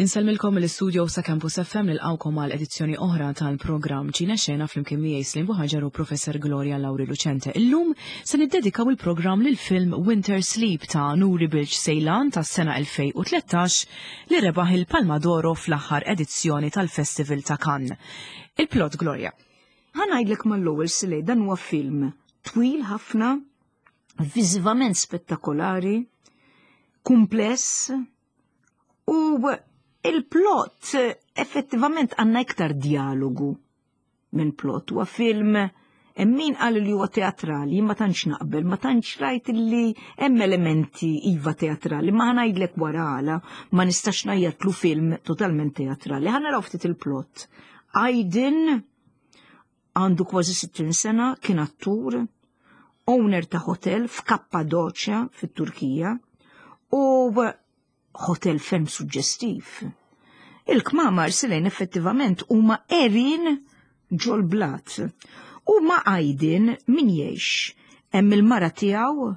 Insellmilkom mill-istudio sa' Campus FM nilqawkom għal edizzjoni oħra tal-programm Ċina Xena flimkien miegħi Slim Buħaġar u Professor Gloria Lauri Lucente. Illum se niddedikaw il-programm lil film Winter Sleep ta' Nuri Bilge Ceylan tas-sena 2013 li rebaħ il-Palma d'Oro fl-aħħar edizzjoni tal-Festival ta' Cannes. Il-plot Gloria. Ħa ngħidlek mal-ewwel Silej dan huwa film twil ħafna, viżivament spettakolari, kumpless, U il-plot effettivament għandna iktar dialogu minn plot. Huwa film hemm min qal li huwa teatrali, ma tantx naqbel, ma tantx rajt li hemm elementi iva teatrali, ma ngħidlek wara għala ma nistax ngħajjatlu film totalment teatrali. Ħa naraw ftit il-plot. Aydin għandu kważi 60 sena, kien attur, owner ta' hotel f'Kappadoċja fit-Turkija u hotel ferm suġġestiv. Il-kmamar silejn effettivament huma għerien ġol-blat. U ma' Aydin min jgħix? Hemm il-mara tiegħu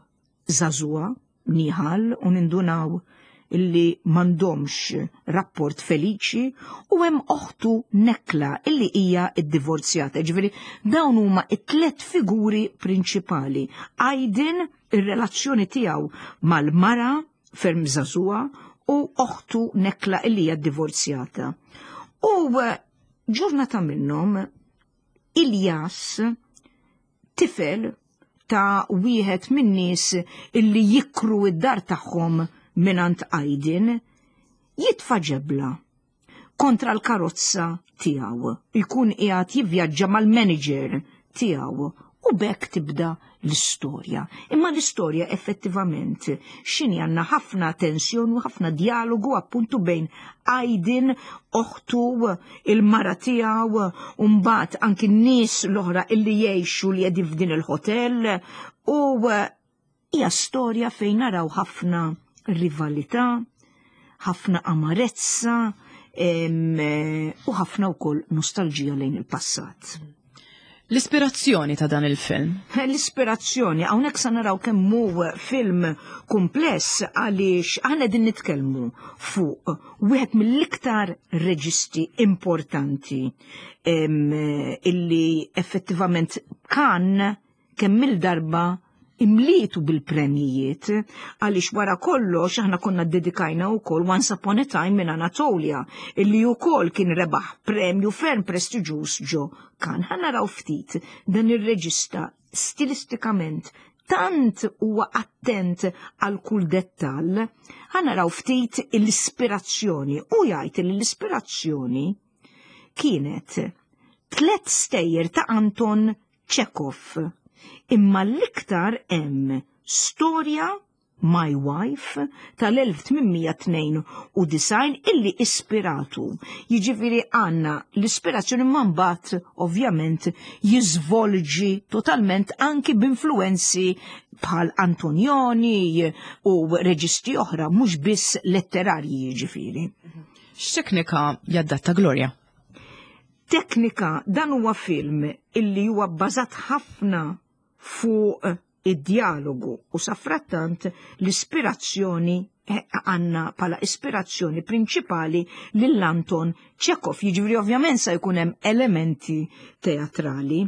żagħżugħa, Nihal, u nindunaw illi m'għandhomx rapport feliċi u hemm oħtu Nekla illi hija ddivorzjata. Ġifieri dawn huma t-tliet figuri prinċipali. Aydin ir-relazzjoni tiegħu mal-mara ferm żagħżugħa u oħtu Nekla illi hija ddivorzjata. U ġurnata minnhom Ilyas tifel ta' wieħed min-nies illi jikru id-dar tagħhom mingħand Aydin, jitfa' ġebla kontra l-karozza tiegħu. Jkun qiegħed jivvjaġġa mal-manager tiegħu u b'hekk tibda l-istorja. Imma l-istorja effettivament x'inhi għandna ħafna tensjoni u ħafna dialogu appuntu bejn Aydin, oħtu, il-mara tiegħu, u mbagħad anki n-nies l-oħra illi jgħixu li qegħdin f'din il-hotel u hija storja fejn naraw ħafna rivalità, ħafna amarezza u ħafna wkoll nostalġija lejn il-passat. L-ispirazzjoni ta' dan il-film? L-ispirazzjoni, hawnhekk sa naraw kemm hu film kumpless għaliex aħna din nitkellmu fuq wieħed mill-iktar reġisti importanti illi effettivament kan kemm-il darba imlietu bil-premjijiet għaliex wara kollox aħna konna ddedikajna wkoll Once Upon a Time in Anatolia illi wkoll kien rebaħ premju ferm prestiġjuż ġo Cannes. Ħa naraw ftit dan ir-reġista stilistikament tant huwa attent għal kull dettall. Ħa naraw ftit l-ispirazzjoni u jgħid li l-ispirazzjoni kienet tlet stejjer ta' Anton Chekhov. Imma l-iktar hemm storja My Wife tal-1892 illi ispiratu. Jiġifieri għandna l-ispirazzjoni ma mbagħad ovvjament jiżvolġi totalment anki b'influwenzi bħal Antonioni u reġisti oħra mhux biss letterarji jiġifieri. X'teknika jaddatta Gloria? Teknika, dan huwa film illi huwa bbażat ħafna fuq id-dialogu u safrattant l-ispirazzjoni eh, għanna pala ispirazzjoni prinċipali lil Anton Chekhov, jiġifieri ovvjament sa jkun hemm elementi teatrali.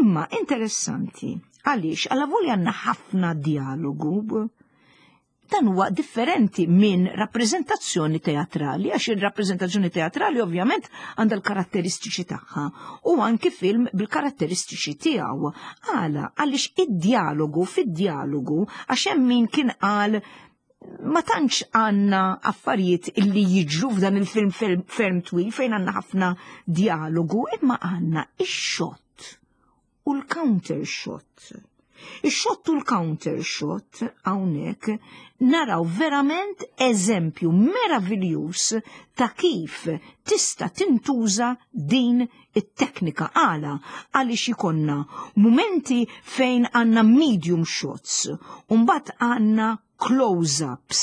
Imma interessanti, għaliex għala volja għandna ħafna dialogu, Dan huwa differenti minn rappreżentazzjoni teatrali, għax ir-rappreżentazzjoni teatrali ovvjament għandha l-karatteristiċi tagħha u anki film bil-karatteristiċi tiegħu. Għala, għaliex id-dialogu fid-dialogu għax hemm min kien qal ma tantx għandna affarijiet illi jiġru f'dan il-film ferm twil fejn għandna ħafna dialogu, imma għandna ix-xott u l-counter shot. Ix-shot u l-counter shot hawnhekk naraw verament eżempju meraviljuż ta' kif tista' tintuża din it-teknika għala għaliex ikonna mumenti fejn għandna medium shots u mbagħad għandna close-ups.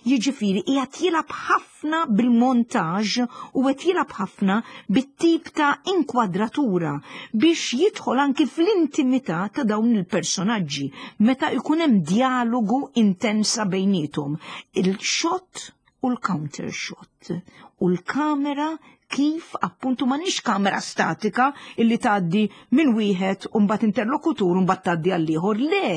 Jiġifieri qiegħed jilgħab ħafna bil-montaġ u qed jilgħab ħafna bit-tip ta' inkwadratura biex jidħol anki fl-intimità ta' dawn il-personaġġi meta jkun hemm dialogu intensa bejniethom. Il-shot. u l-counter shot u l-kamera kif appuntu ma nix kamera statika illi tgħaddi minn wieħed u mbagħad interlokutur u mbagħad tgħaddi għal ieħor. Le,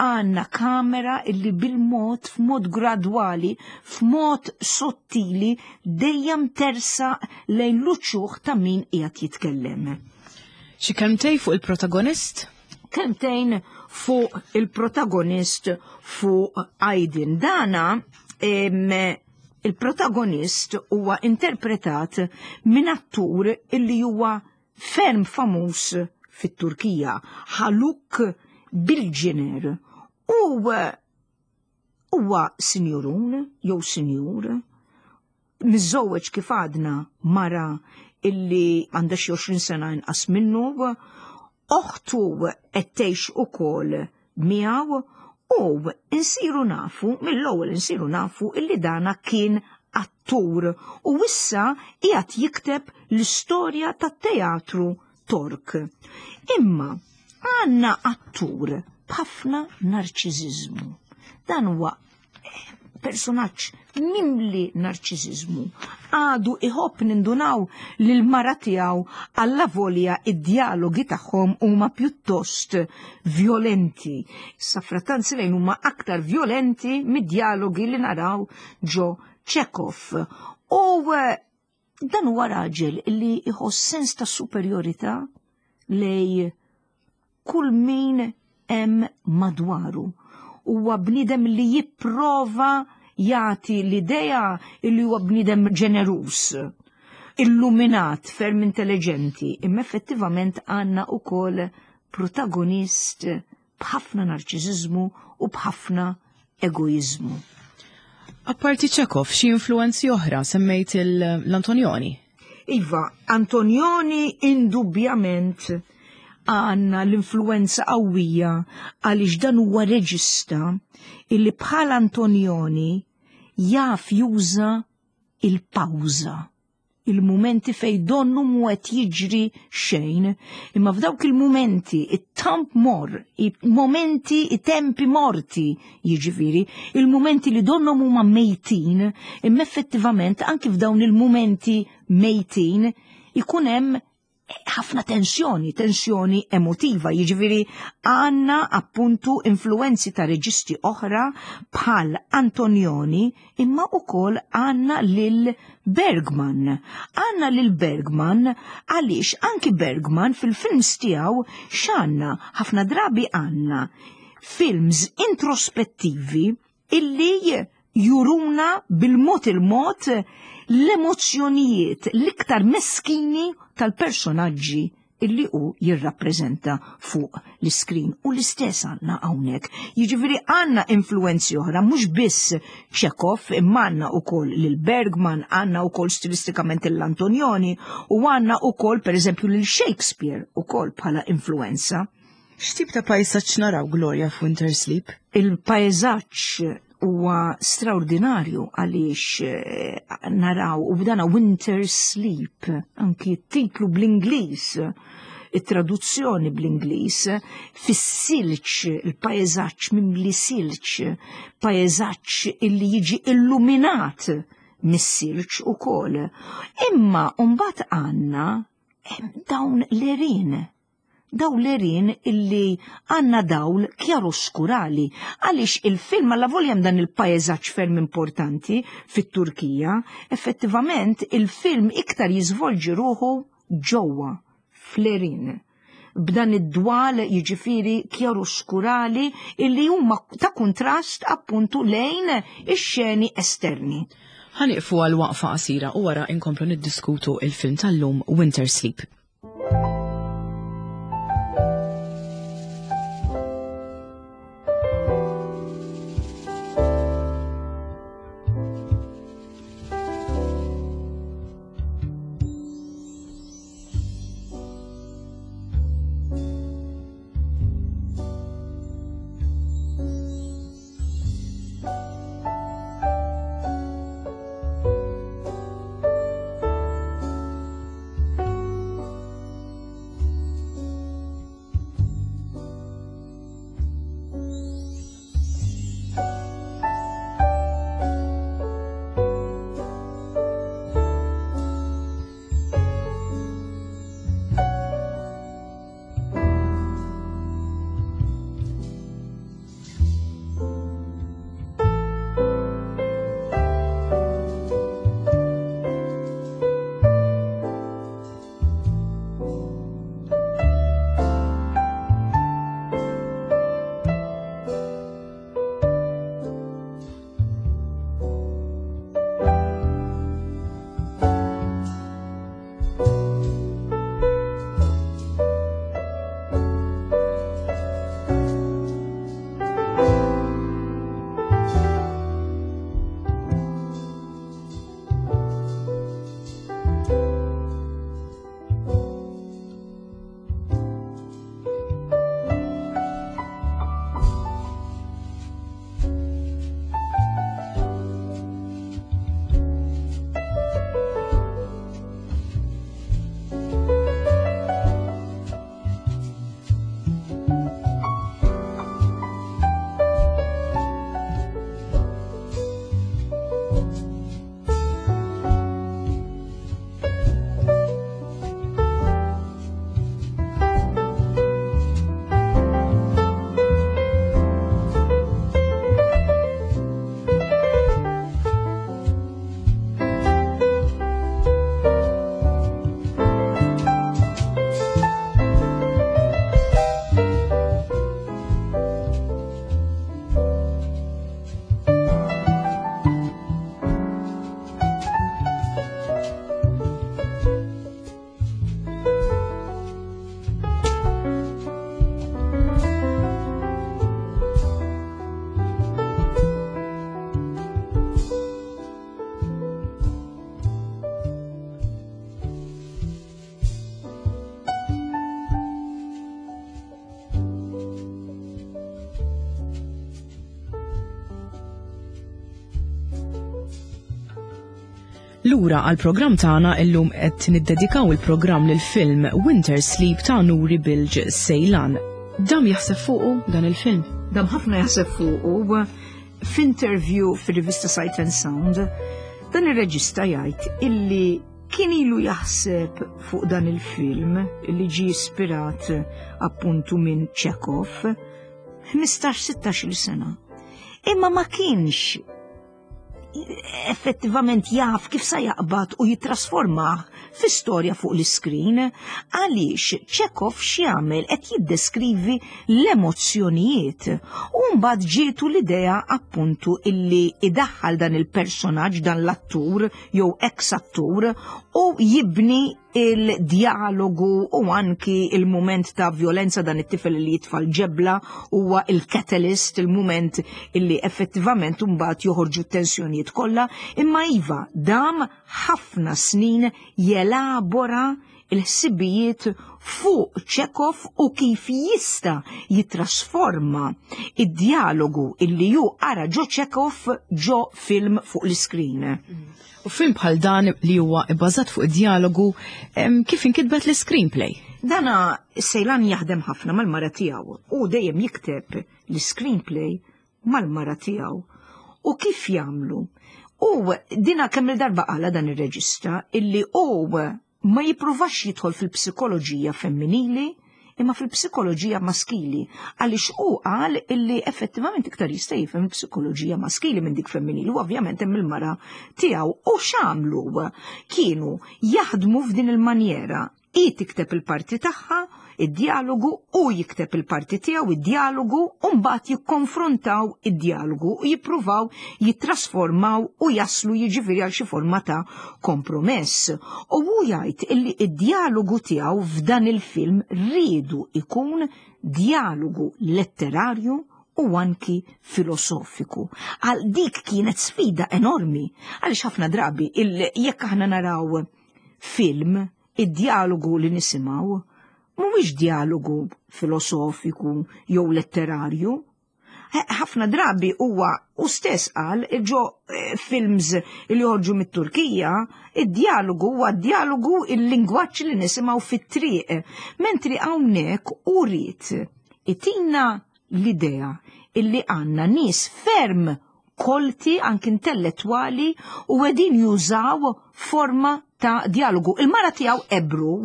għandna kamera illi bil-mod f'mod gradwali, f'mod sottili dejjem tersaq lejn l-uċuħ ta' min qiegħed jitkellem. Xi kelmtejn fuq il-protagonist? Kelmtejn fuq il-protagonist fuq Aydin. Dana il-protagonist huwa interpretat minn attur illi huwa ferm famuż fit-Turkija, Haluk Bilginer. U huwa sinjurun jew sinjur, miżżewweġ kif għadna mara illi għandha xi 20 sena inqas minnu, oħtu qed tgħix ukoll miegħu u insiru nafu, mill-ewwel insiru nafu illi dana kien attur u issa qiegħed jikteb l-istorja tat-teatru Tork. Imma għandna attur b'ħafna narċiżiżmu. Dan huwa personaġġ mimli narċiżiżmu. Għadu iħobb nindunaw li l-mara tiegħu alla volja id-dialogi tagħhom huma pjuttost violenti. Safratanz lejn huma aktar violenti mid-dialogi li naraw ġo Chekhov. U dan huwa raġel li iħoss sens ta' superjorità lej kull min hemm madwaru. Huwa bniedem li jipprova jagħti l-idea li huwa bniedem ġeneruż, illuminat, ferm intelligenti, imma effettivament għandna ukoll protagonist b'ħafna narċiżiżmu u b'ħafna egoiżmu. Apparti Chekhov, xi influenzi oħra semmejt l-Antonioni? Iva, Antonioni indubjament għandna l-influenza qawwija għaliex dan huwa reġista illi bħal Antonioni jaf juża il-pawża, il-mumenti fej donnu mu qed jiġri xejn, imma f'dawk il-mumenti, it-tamp mor, i-momenti, i-tempi morti, jiġifieri, il-mumenti li donnu huma mejtin, imma effettivament anki f'dawn il-mumenti mejtin ikun hemm ħafna tensjoni, tensjoni emotiva, jiġifieri għandna appuntu influenzi ta' reġisti oħra bħal Antonioni, imma ukoll għandna lil Bergman. Għandna lil Bergman għaliex anki Bergman fil-films tiegħu x'għandna ħafna drabi għandna films introspettivi illi juruna bil-mod il-mod l-emozzjonijiet l-iktar meskini tal-personaġġi illi hu jirrappreżenta fuq l-iskrin. U l-istess għandna hawnhekk. Jiġifieri għandna influenzi oħra, mhux biss Chekhov, imma għandna wkoll lil Bergman, għandna wkoll stilistikament l-Antonioni u għandna wkoll pereżempju lil Shakespeare ukoll bħala influenza. X'tip ta' pajsaġġ naraw, Gloria, f'Winter Sleep? Il-pajsaġġ huwa straordinarju għaliex naraw u b'dana Winter Sleep, anki t-titlu bl-Ingliż, it-traduzzjoni bl-Ingliż, fis-silġ, il-pajsaġġ mimli silġ, pajsaġġ illi jiġi illuminat mis-silġ ukoll. Imma mbagħad għandna dawn l-għerien. Dawn l-għerien illi għandna dawl kjaroskurali, għaliex il-film alla volja hemm dan il-pajsaġġ ferm importanti fit-Turkija, effettivament il-film iktar jiżvolġi ruħu ġewwa fl-għerien. B'dan id-dwal jiġifieri kjaroskurali illi huma ta' kuntrast appuntu lejn ix-xeni esterni. Ħa nieqfu għal waqfa qasira u wara inkomplu niddiskutu il-film tal-lum Winter Sleep. Lura għall-programm tagħna illum qed niddedikaw il-programm lil film Winter Sleep ta' Nuri Bilge Ceylan. Dam jaħseb fuqu dan il-film? Dam ħafna jaħseb fuqu f'interview fir-rivista Sight and Sound dan ir-reġista jgħid illi kien ilu jaħseb fuq dan il-film illi ġie ispirat appuntu minn Chekhov 15-16 sena. Imma ma kienx effettivament jaf kif sa jaqbad u jittrasformah fi storja fuq l-iskrin, għaliex Chekhov x'jagħmel qed jiddeskrivi l-emozzjonijiet. U mbagħad ġietu l-idea appuntu illi idaħħal dan il-personaġġ, dan l-attur jew ex-attur u jibni il-dialogu u anki il-moment ta' violenza dan it-tifel li jitfa' l-ġebla huwa il-catalyst, il-moment illi effettivament mbagħad joħorġu t-tensjonijiet kollha, imma iva dam ħafna snin jelabora il-ħsibijiet fuq Chekhov u kif jista' jitrasforma id-dialogu illi ju ara ġo Chekhov ġo film fuq l-iskrin. U film bħal dan li huwa bbażat fuq id-dialogu, kif inkitbet l-screenplay? Dana Ceylan jaħdem ħafna mal-mara tiegħu u dejjem jikteb l-screenplay mal-mara tiegħu. U kif jagħmlu? U dina kemm il-darba qala dan ir-reġista illi hu ma jippruvax jidħol fil-psikoloġija femminili imma fil-psikoloġija maskili, għaliex hu qal illi effettivament iktar jista' jifhem il-psikoloġija maskili minn dik femminili u ovvjament hemm il-mara tiegħu. U x'għamlu? Kienu jaħdmu f'din il-manjera. Hi tikteb il-parti tagħha, id-dialogu, u jikteb il-parti tiegħu, id-dialogu, u mbagħad jikkonfrontaw id-dialogu u jippruvaw jittrasformaw u jaslu jiġifieri għal xi forma ta' kompromess. U hu jgħid illi id-dialogu tiegħu f'dan il-film riedu ikun dialogu letterarju u anki filosofiku. Għal dik kienet sfida enormi, għaliex ħafna drabi jekk aħna naraw film, id-dialogu li nisimgħu mhuwiex dialogu filosofiku jew letterarju. Ħafna drabi huwa u stess qal ġo films li joħorġu mit-Turkija, id-dialogu huwa dialogu il-lingwaġġ li nisimgħu fit-triq, mentri hawnhekk u ried itina l-idea illi għandna nies ferm kolti anki intellettwali u qegħdin jużaw forma ta' dialogu. Il-mara tiegħu Ebru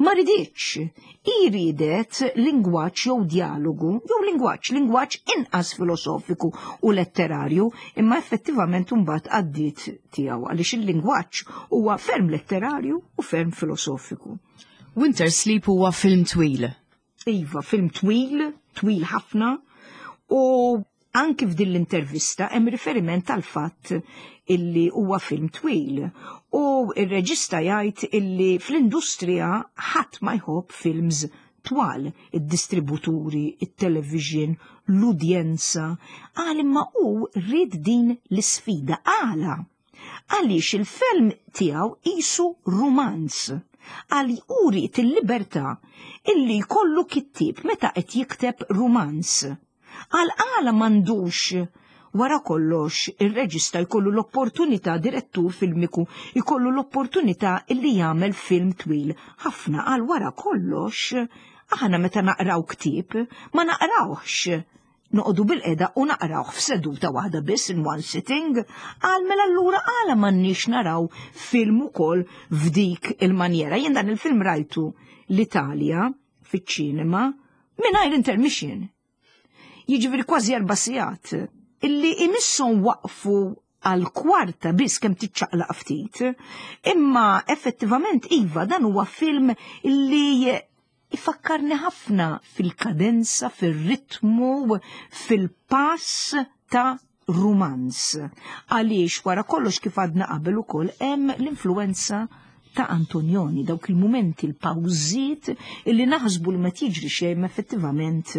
ma riditx. Hi ridet lingwaġġ jew dialogu, jew lingwaġġ, lingwaġġ inqas filosofiku u letterarju, imma effettivament imbagħad għaddiet tiegħu għaliex il-lingwaġġ huwa ferm letterarju u ferm filosofiku. Winter Sleep huwa film twil. Iva, film twil, twil ħafna, u anki f'din l-intervista hemm riferiment għal fatt illi huwa film twil. U ir-reġista jgħid illi fl-industrija ħadd ma jħobb films twal, id-distributuri, it-television, l-udjenza, qal imma hu ried din l-isfida għala. Għaliex il-film tiegħu qisu rumanz. Għal hu ried il-libertà illi jkollu kittieb meta qed jikteb rumanz. Għal għala m'għandux wara kollox ir-reġista jkollu l-opportunità, direttur filmiku jkollu l-opportunità illi jagħmel film twil ħafna. Għal wara kollox aħna meta naqraw ktieb ma naqrawhx noqogħdu bil-qeda u naqrawh f'seduta waħda biss in one sitting, qal mela allura għala m'għandniex naraw film ukoll f'dik il-manjera. Jien dan il-film rajtu l-Italja fiċ-ċinema mingħajr intermission. Jiġifieri kważi 4 sigħat illi imisshom waqfu għal kwarta biss kemm tiċċaqlaq ftit, imma effettivament iva dan huwa film illi ifakkarni ħafna fil-kadenza, fil-ritmu, fil-pass ta' rumanz. Għaliex wara kollox kif għadna qabel ukoll hemm l-influenza ta' Antonioni, dawk il-mumenti, il-pawżiet illi naħsbu li ma tiġri xejn effettivament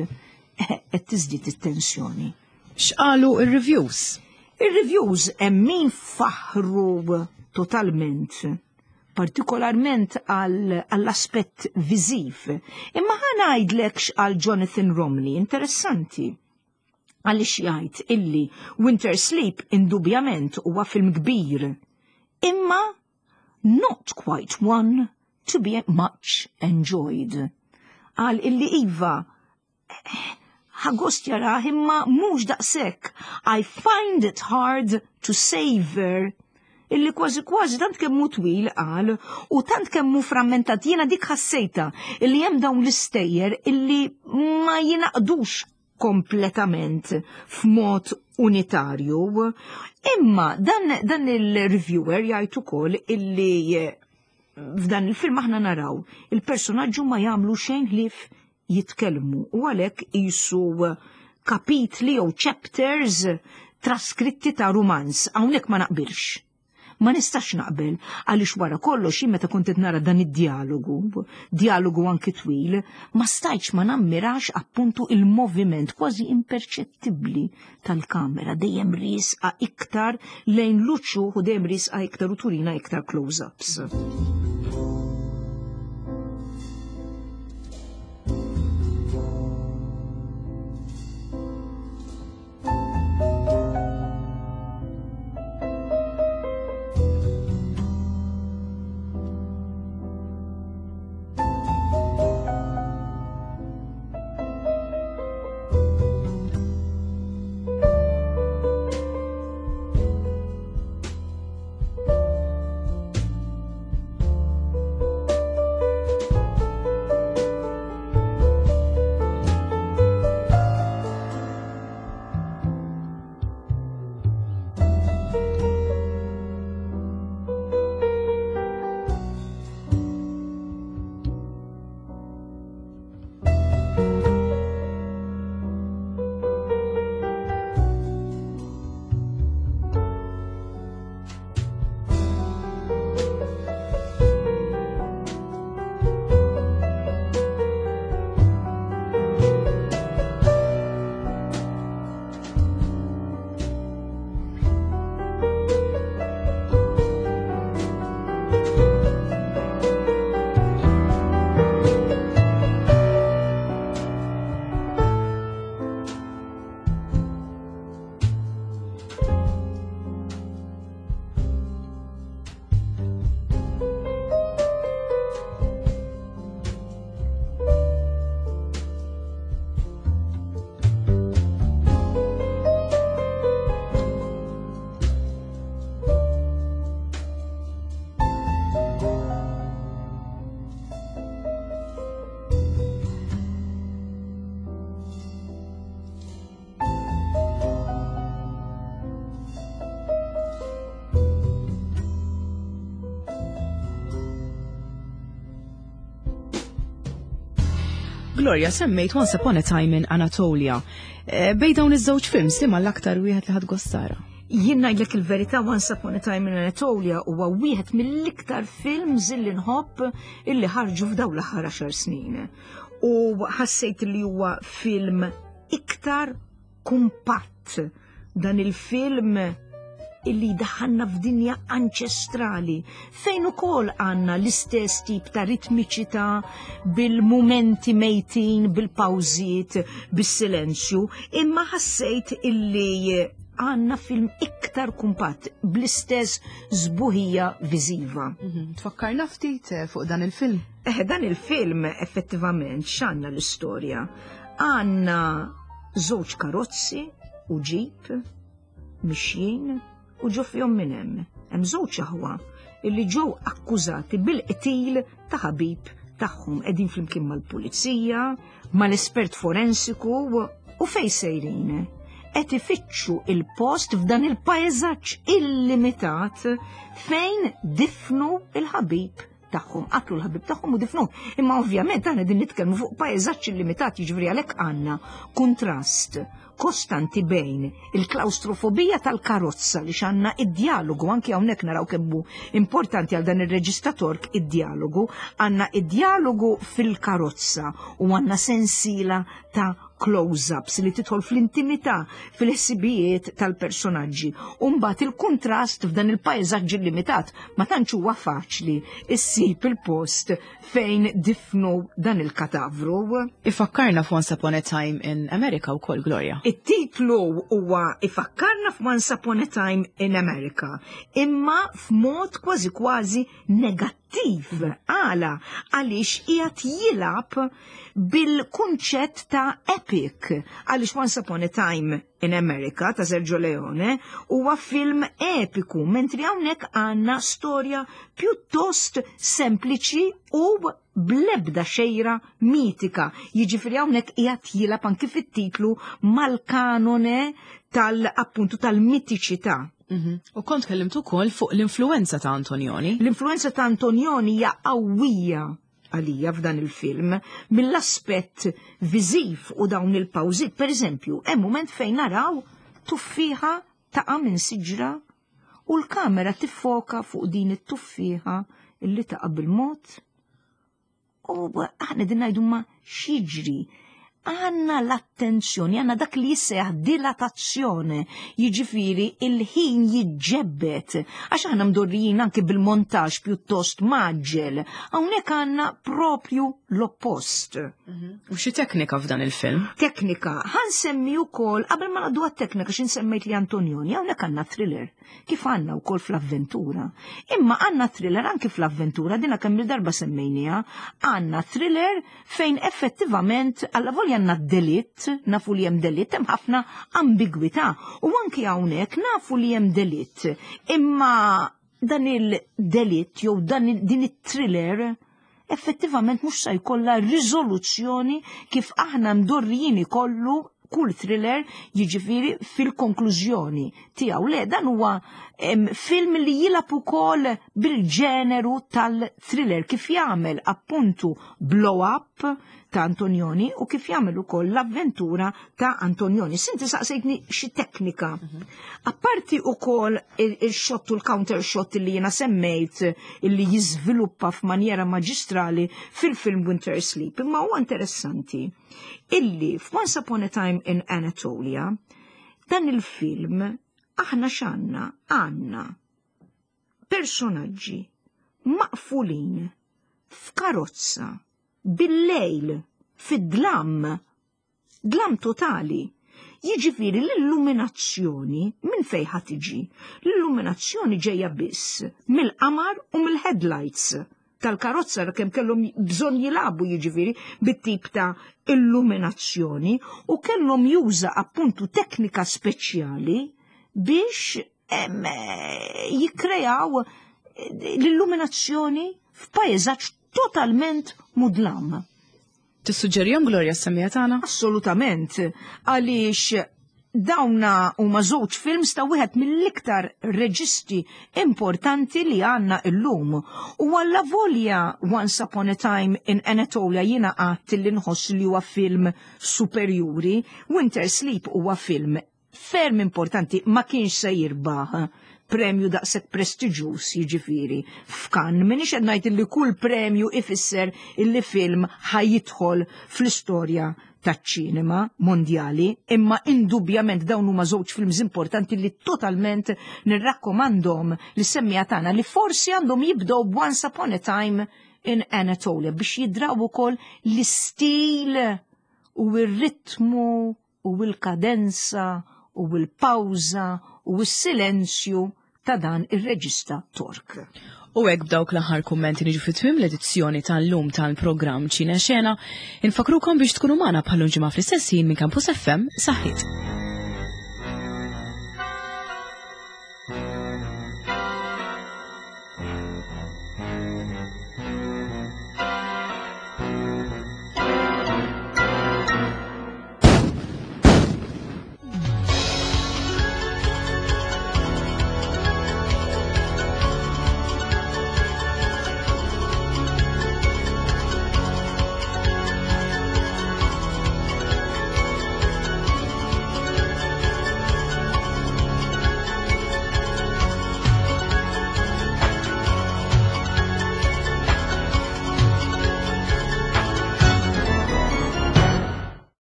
qed tiżdied it-tensjoni. X'qalu ir-reviews? Ir-reviews hemm min faħru totalment, partikolarment għall-aspett viżiv. Imma ħa ngħidlek x'qal Jonathan Romney, interessanti. Għaliex jgħid illi Winter Sleep indubjament huwa film kbir. Imma not quite one to be much enjoyed. Qal illi iva, ħa gost jarah imma mhux daqshekk. I find it hard to savor illi kważi kważi tant kemm hu twil qal u tant kemm hu frammentat jiena dik ħassejta illi hemm dawn l-istejjer illi ma jingħaqdux kompletament f'mod unitarju. Imma dan, dan il-reviewer jgħid ukoll illi f'dan il-film aħna naraw il-personaġġu ma jagħmlu xejn ħlief jitkellmu u għalhekk qisu kapitli jew chapters traskritti ta' rumanz. Hawnhekk ma naqbilx. Ma nistax naqbel għaliex wara kollox jien meta kont qed nara dan id-dialogu, dialogu anki twil, ma stajtx ma nammirax appuntu il-moviment kważi imperċettibbli tal-kamera dejjem riesqa iktar lejn l-uċuħ u dejjem riesqa iktar u turina iktar close-ups. Gloria, semmejt Once Upon a Time in Anatolia. Eh, bej dawn iż-żewġ films li l-aktar wieħed li ħadd gostara. Jien ngħidlek il-verità Once Upon a Time in Anatolia huwa wieħed mill-iktar films illi nħobb illi ħarġu f'dawn l-aħħar għaxar snin. U ħassejt li huwa film iktar kumpatt dan il-film illi daħanna f'dinja anċestrali fejn ukoll għandna l-istess tip ta' ritmiċità bil-mumenti mejtin, bil-pawżiet, bis-silenzju, imma ħassejt illi għandna film iktar kumpatt bl-istess żbuħija viżiva. Mhm. Tfakkarna ftit eh, fuq dan il-film. Eh, dan il-film effettivament x'għandna l-istorja. Għandna żewġ karozzi u ġip mixjin u ġo fihom minn hemm. Hemm żewġ aħwa illi ġew akkużati bil-qtil ta' ħabib tagħhom qegħdin flimkien mal-pulizija, mal-espert forensiku u fej sejrin. Qed ifittxu il-post f'dan il-pajżaġġ illimitat fejn difnu il-ħabib tagħhom, qatlu l-ħabib tagħhom u difnu. Imma ovvjament aħna din nitkellmu fuq pajżaġġ illimitat, jiġifieri għalhekk għandna kuntrast kostanti bejn il-klaustrofobija tal-karozza li xanna id-dialogu, anki hawnhekk naraw kemmu importanti għal dan ir-reġista Tork id-dialogu, għandna id-dialogu fil-karozza u għandna sensiela ta' close-ups li tidħol fl-intimità, fil-ħsibijiet tal-personaġġi. U mbagħad il-kuntrast f'dan il-pajżaġġ illimitat ma tantx huwa faċli issib il-post fejn difnu dan il-katavru. Ifakkarna f'Once Upon a Time in America wkoll, Gloria. It-titlu huwa ifakkarna f'Once Upon a Time in America, imma f'mod kważi kważi negattiv. Għala, għaliex qiegħed jilgħab bil-kunċett ta' epic. Għaliex Once Upon a Time in America ta' Sergio Leone huwa film epiku, mentri hawnhekk għandna storja pjuttost sempliċi u blebda xejra mitika. Jiġifieri hawnhekk qiegħed jilgħab anki fit-titlu mal-kanone tal-appuntu tal-mitiċità. U kont kellimt ukoll fuq l-influenza ta' Antonioni. L-influenza ta' Antonioni hija qawwija għalija f'dan il-film mill-aspett viżiv u dawn il-pawżiet. Per eżempju, hemm mument fejn naraw tuffieħa taqa' minn siġra u l-kamera tiffoka fuq din it-tuffieħa illi taqa' bil-mod. U aħna din ngħidu ma x'jiġri. Għandna l-attenzjoni, għandna dak li jissejjaħ dilatazzjoni, jiġifieri il-ħin jiġġebbed, għax aħna mdorrijin anki bil-montaġġ pjuttost maġġel, hawnhekk għandna propju l-oppost. U xi teknika f'dan il-film? Teknika, ħa nsemmi wkoll, qabel ma ngħaddu għat-teknika xi nsemmejt li Antonioni, hawnhekk għandna thriller. Kif għandna wkoll fl-avventura. Imma għandna thriller anki fl-avventura, dina kemm il-darba semmejniha, għandna thriller fejn effettivament alla volja għandna delitt, nafu li hemm delitt, hemm ħafna ambigwità. U anki hawnhekk nafu li hemm delitt. Imma dan il-delitt jew dan din it-thriller effettivament mhux se jkollha riżoluzzjoni kif aħna mdorrijin ikollu kull thriller, jiġifieri fil-konklużjoni tiegħu. Le, dan huwa film li jilgħab ukoll bil-ġeneru tal-thriller kif jagħmel appuntu Blow Up ta' Antonioni u kif jagħmel ukoll l-avventura ta' Antonioni. Sinti saqsejtni xi teknika. Apparti ukoll il-shot u l-counter shot li jiena semmejt illi jiżviluppa f'manjera maġistrali fil-film Winter Sleep, imma huwa interessanti illi f'Once Upon a Time in Anatolia dan il-film aħna x'għandna? Għandna personaġġi maqfulin f'karozza bil-lejl, fid-dlam, dlam totali. Jiġifieri l-illuminazzjoni minn fejn ħa tiġi? L-illuminazzjoni ġejja biss mill-qamar u mill-headlights tal-karozza kemm kellhom bżonn jilagħbu jiġifieri bit-tip ta' illuminazzjoni u kellhom juża appuntu teknika speċjali biex jikkrejaw l-illuminazzjoni f'pajjeżaġġ totalment mudlam. Tissuġġerihom Gloria s-semmiegħa tagħna? Assolutament, għaliex dawna huma żewġ films ta' wieħed mill-iktar reġisti importanti li għandna illum. U alla volja Once Upon a Time in Anatolia jiena għadt li nħoss li huwa film superjuri, Winter Sleep huwa film ferm importanti, ma kienx se jirbaħ premju daqshekk prestiġjuż jiġifieri f'Cannes. M'iniex qed ngħid li kull premju ifisser illi film ħa jidħol fl-istorja taċ-ċinema mondjali, imma indubjament dawn huma żewġ films importanti li totalment nirrakkomandhom lis-semmiegħa tagħna li forsi għandhom jibdew b'Once Upon a Time in Anatolia biex jidraw ukoll l-istil u r-ritmu u l-kadenza u l-pawża u s-silenzju ta' dan ir-reġista Tork. U hekk b'dawk l-aħħar kummenti niġu fi tmiem l-edizzjoni tal-lum tal-programm Ċine Xena. Infakrukom biex tkunu magħna bħal ġimgħa fl-istess ħin minn Campus FM. Saħħit.